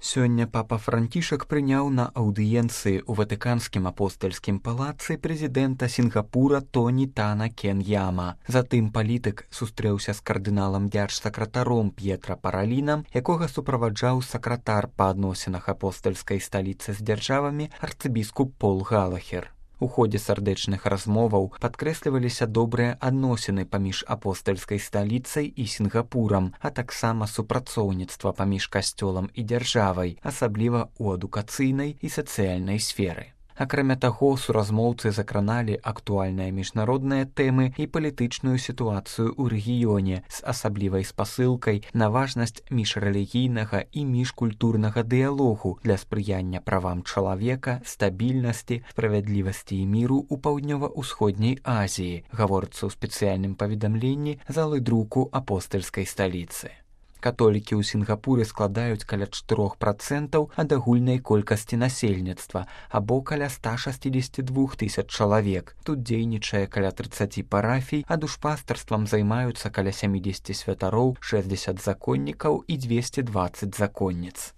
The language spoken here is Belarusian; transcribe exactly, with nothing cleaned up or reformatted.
Сёння папа Францішак прыняў на аўдыенцыі ў ватыканскім апостальскім палацы прэзідэнта Сінгапура Тоні Тана Кеньяма. Затым палітык сустрэўся з кардыналам дзяржсакратаром П'етра Паралінам, якога суправаджаў сакратар па адносінах апостальскай сталіцы з дзяржавамі арцыбіскуп Пол Галахер. У ходзе сардэчных размоваў падкрэсліваліся добрыя адносіны паміж апостальскай сталіцай і Сінгапурам, а таксама супрацоўніцтва паміж касцёлам і дзяржавай, асабліва ў адукацыйнай і сацыяльнай сферы. Акрамя таго, суразмоўцы закраналі актуальныя міжнародныя тэмы і палітычную сітуацыю ў рэгіёне з асаблівай спасылкай на важнасць міжрэлігійнага і міжкультурнага дыялогу для спрыяння правам чалавека, стабільнасці, справядлівасці і міру ў паўднёва-ўсходняй Азіі, гаворыцца ў спецыяльным паведамленні залы друку апостальскай сталіцы. Католікі ў Сінгапуры складаюць каля чатырох працэнтаў ад агульнай колькасці насельніцтва, або каля ста шэсцьдзесят два тысяч чалавек. Тут дзейнічае каля трыццаць парафій, а душпастарствам займаюцца каля сямдзесят святароў, шэсцьдзесят законнікаў і дзвесце дваццаць законніц.